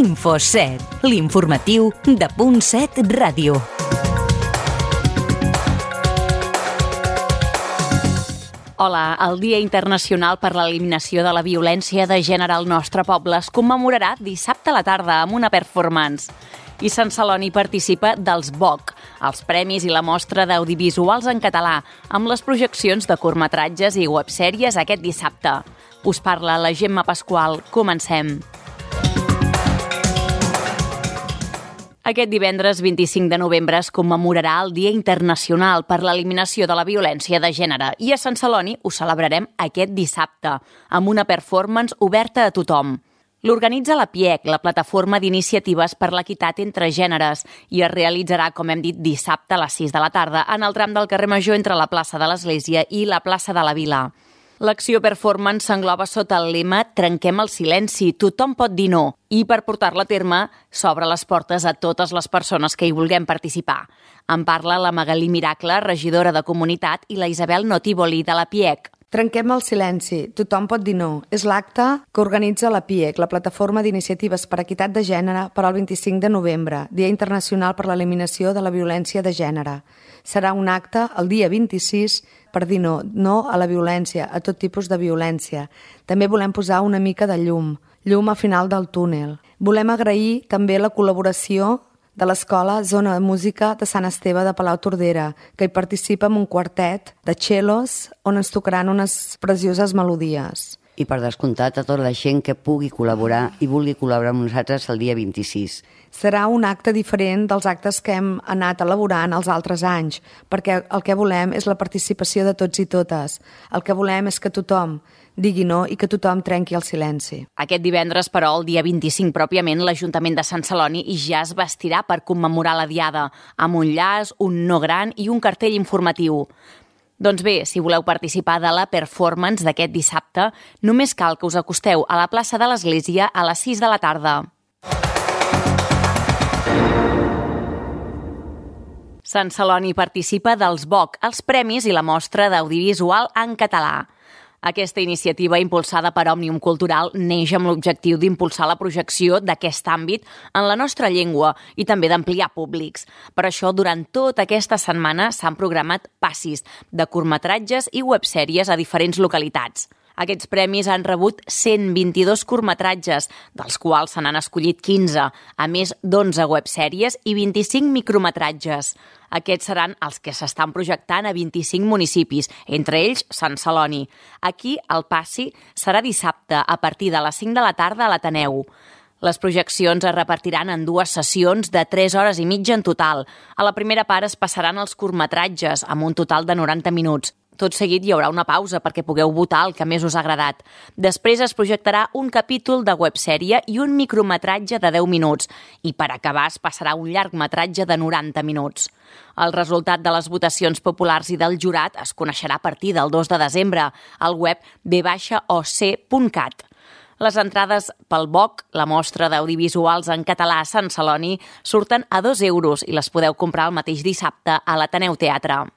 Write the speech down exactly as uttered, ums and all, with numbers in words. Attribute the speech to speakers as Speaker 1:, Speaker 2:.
Speaker 1: Infoset, l'informatiu de Punt set Ràdio. Hola, el Dia Internacional per l'Eliminació de la Violència de Gènere al nostre poble es commemorarà dissabte a la tarda amb una performance. I Sant Celoni participa dels B O C, els premis i la mostra d'audiovisuals en català, amb les projeccions de curtmetratges i websèries aquest dissabte. Us parla la Gemma Pasqual. Comencem. Aquest divendres vint-i-cinc de novembre es commemorarà el Dia Internacional per l'Eliminació de la Violència de Gènere i a Sant Celoni ho celebrarem aquest dissabte, amb una performance oberta a tothom. L'organitza la P I E C, la Plataforma d'Iniciatives per l'Equitat entre Gèneres, i es realitzarà, com hem dit, dissabte a les sis de la tarda en el tram del carrer Major entre la plaça de l'Església i la plaça de la Vila. L'acció performance s'engloba sota el lema «Trenquem el silenci, tothom pot dir no», i per portar-la a terme s'obre les portes a totes les persones que hi vulguem participar. En parla la Magalí Miracle, regidora de Comunitat, i la Isabel Notívoli, de la P I E C.
Speaker 2: Trenquem el silenci, tothom pot dir no. És l'acte que organitza la P I E C, la Plataforma d'Iniciatives per Equitat de Gènere, per al vint-i-cinc de novembre, Dia Internacional per l'Eliminació de la Violència de Gènere. Serà un acte el dia vint-i-sis per dir no, no a la violència, a tot tipus de violència. També volem posar una mica de llum, llum al final del túnel. Volem agrair també la col·laboració de l'Escola Zona de Música de Sant Esteve de Palau-Tordera, que hi participa amb un quartet de cellos on ens tocaran unes precioses melodies.
Speaker 3: I per descomptat a tota la gent que pugui col·laborar i vulgui col·laborar amb nosaltres el dia vint-i-sis.
Speaker 2: Serà un acte diferent dels actes que hem anat elaborant els altres anys, perquè el que volem és la participació de tots i totes. El que volem és que tothom digui no i que tothom trenqui el silenci.
Speaker 1: Aquest divendres, però, el dia vint-i-cinc pròpiament, l'Ajuntament de Sant Celoni ja es vestirà per commemorar la Diada, amb un llaç, un no gran i un cartell informatiu. Doncs bé, si voleu participar de la performance d'aquest dissabte, només cal que us acosteu a la plaça de l'Església a les sis de la tarda. Sant Celoni participa dels B O C, els premis i la mostra d'audiovisual en català. Aquesta iniciativa, impulsada per Òmnium Cultural, neix amb l'objectiu d'impulsar la projecció d'aquest àmbit en la nostra llengua i també d'ampliar públics. Per això, durant tota aquesta setmana s'han programat passis de curtmetratges i websèries a diferents localitats. Aquests premis han rebut cent vint-i-dos curtmetratges, dels quals se n'han escollit quinze, a més d'onze websèries i vint-i-cinc micrometratges. Aquests seran els que s'estan projectant a vint-i-cinc municipis, entre ells Sant Celoni. Aquí el passi serà dissabte a partir de les cinc de la tarda a l'Ateneu. Les projeccions es repartiran en dues sessions de tres hores i mitja en total. A la primera part es passaran els curtmetratges, amb un total de noranta minuts. Tot seguit hi haurà una pausa perquè pugueu votar el que més us ha agradat. Després es projectarà un capítol de websèrie i un micrometratge de deu minuts. I per acabar es passarà un llargmetratge de noranta minuts. El resultat de les votacions populars i del jurat es coneixerà a partir del dos de desembre al web b o c punt cat. Les entrades pel B O C, la mostra d'audiovisuals en català a Sant Celoni, surten a dos euros i les podeu comprar el mateix dissabte a l'Ateneu Teatre.